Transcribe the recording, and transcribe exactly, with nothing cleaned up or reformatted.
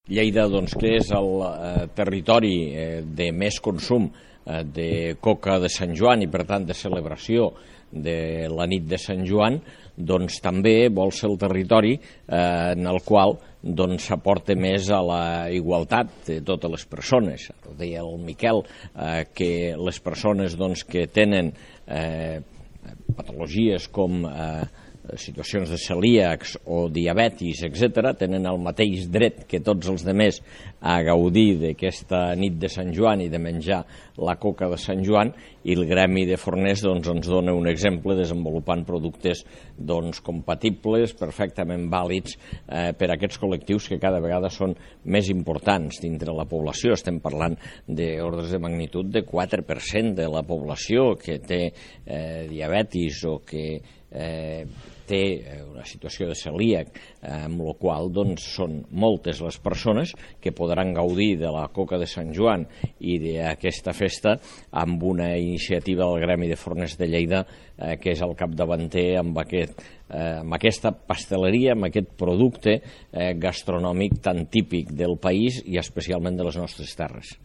Lleida, doncs, que és el eh, territori eh, de més consum eh, de coca de Sant Joan i, per tant, de celebració de la nit de Sant Joan, doncs també vol ser el territori eh, en el qual s'aporta doncs, més a la igualtat de totes les persones. Deia el Miquel eh, que les persones doncs, que tenen eh, patologies com eh, situacions de celíacs o diabetis, etcètera, tenen el mateix dret que tots els altres a gaudir d'aquesta nit de Sant Joan i de menjar la coca de Sant Joan, i el gremi de forners doncs, ens dona un exemple desenvolupant productes doncs, compatibles, perfectament vàlids eh, per a aquests col·lectius que cada vegada són més importants dintre la població. Estem parlant d'ordres de magnitud de quatre per cent de la població que té eh, diabetis o que eh, té una situació de celíac, eh, amb la qual doncs, són moltes les persones que podran gaudir de la coca de Sant Joan i d'aquesta festa amb una iniciativa del Gremi de Forners de Lleida eh, que és el capdavanter amb, aquest, eh, amb aquesta pasteleria, amb aquest producte eh, gastronòmic tan típic del país i especialment de les nostres terres.